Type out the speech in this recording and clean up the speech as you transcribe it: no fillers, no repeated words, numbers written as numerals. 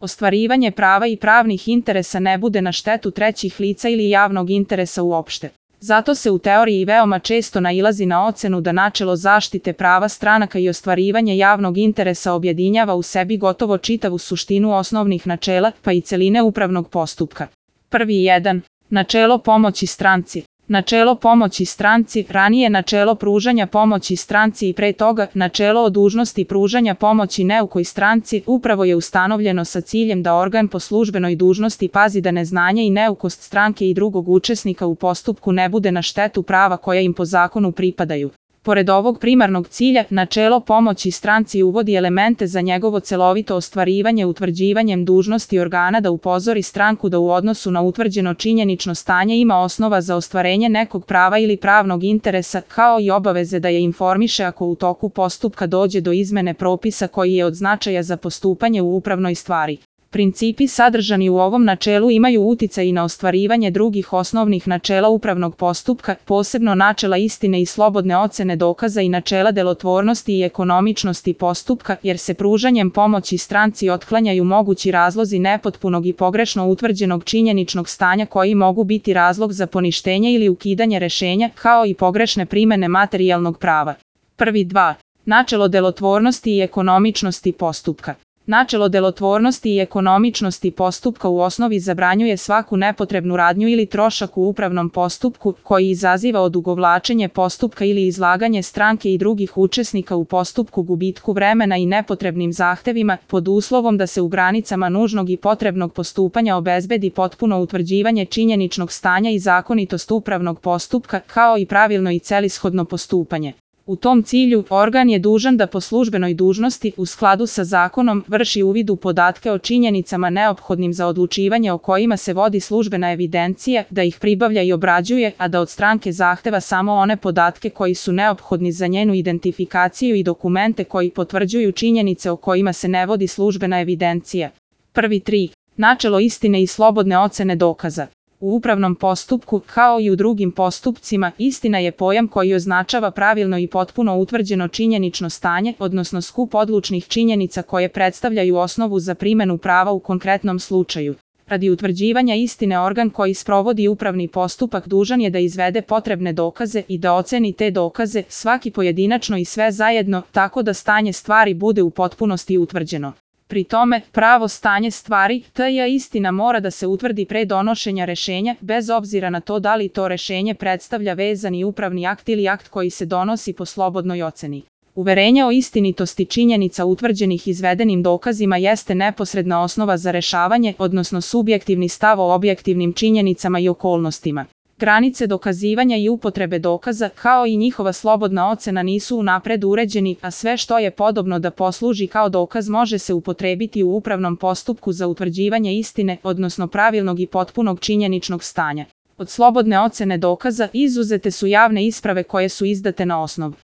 ostvarivanje prava i pravnih interesa ne bude na štetu trećih lica ili javnog interesa uopšte. Zato se u teoriji veoma često nailazi na ocenu da načelo zaštite prava stranaka i ostvarivanje javnog interesa objedinjava u sebi gotovo čitavu suštinu osnovnih načela, pa i celine upravnog postupka. Prvi 1. Načelo pomoći stranci. Načelo pomoći stranci, ranije načelo pružanja pomoći stranci i pre toga načelo o dužnosti pružanja pomoći neukoj stranci, upravo je ustanovljeno sa ciljem da organ po službenoj dužnosti pazi da neznanje i neukost stranke i drugog učesnika u postupku ne bude na štetu prava koja im po zakonu pripadaju. Pored ovog primarnog cilja, načelo pomoći stranci uvodi elemente za njegovo celovito ostvarivanje utvrđivanjem dužnosti organa da upozori stranku da u odnosu na utvrđeno činjenično stanje ima osnova za ostvarenje nekog prava ili pravnog interesa, kao i obaveze da je informiše ako u toku postupka dođe do izmene propisa koji je od značaja za postupanje u upravnoj stvari. Principi sadržani u ovom načelu imaju uticaj i na ostvarivanje drugih osnovnih načela upravnog postupka, posebno načela istine i slobodne ocene dokaza i načela delotvornosti i ekonomičnosti postupka, jer se pružanjem pomoći stranci otklanjaju mogući razlozi nepotpunog i pogrešno utvrđenog činjeničnog stanja koji mogu biti razlog za poništenje ili ukidanje rešenja, kao i pogrešne primene materijalnog prava. Prvi 2. Načelo delotvornosti i ekonomičnosti postupka. Načelo delotvornosti i ekonomičnosti postupka u osnovi zabranjuje svaku nepotrebnu radnju ili trošak u upravnom postupku koji izaziva odugovlačenje postupka ili izlaganje stranke i drugih učesnika u postupku gubitku vremena i nepotrebnim zahtevima, pod uslovom da se u granicama nužnog i potrebnog postupanja obezbedi potpuno utvrđivanje činjeničnog stanja i zakonitost upravnog postupka, kao i pravilno i celishodno postupanje. U tom cilju, organ je dužan da po službenoj dužnosti, u skladu sa zakonom, vrši uvid u podatke o činjenicama neophodnim za odlučivanje o kojima se vodi službena evidencija, da ih pribavlja i obrađuje, a da od stranke zahteva samo one podatke koji su neophodni za njenu identifikaciju i dokumente koji potvrđuju činjenice o kojima se ne vodi službena evidencija. Prvi 3. Načelo istine i slobodne ocene dokaza. U upravnom postupku, kao i u drugim postupcima, istina je pojam koji označava pravilno i potpuno utvrđeno činjenično stanje, odnosno skup odlučnih činjenica koje predstavljaju osnovu za primenu prava u konkretnom slučaju. Radi utvrđivanja istine organ koji sprovodi upravni postupak dužan je da izvede potrebne dokaze i da oceni te dokaze, svaki pojedinačno i sve zajedno, tako da stanje stvari bude u potpunosti utvrđeno. Pri tome, pravo stanje stvari, t.j. istina mora da se utvrdi pre donošenja rešenja, bez obzira na to da li to rešenje predstavlja vezani upravni akt ili akt koji se donosi po slobodnoj oceni. Uverenje o istinitosti činjenica utvrđenih izvedenim dokazima jeste neposredna osnova za rešavanje, odnosno subjektivni stav o objektivnim činjenicama i okolnostima. Granice dokazivanja i upotrebe dokaza, kao i njihova slobodna ocena nisu unapred uređeni, a sve što je podobno da posluži kao dokaz može se upotrebiti u upravnom postupku za utvrđivanje istine, odnosno pravilnog i potpunog činjeničnog stanja. Od slobodne ocene dokaza izuzete su javne isprave koje su izdate na osnovu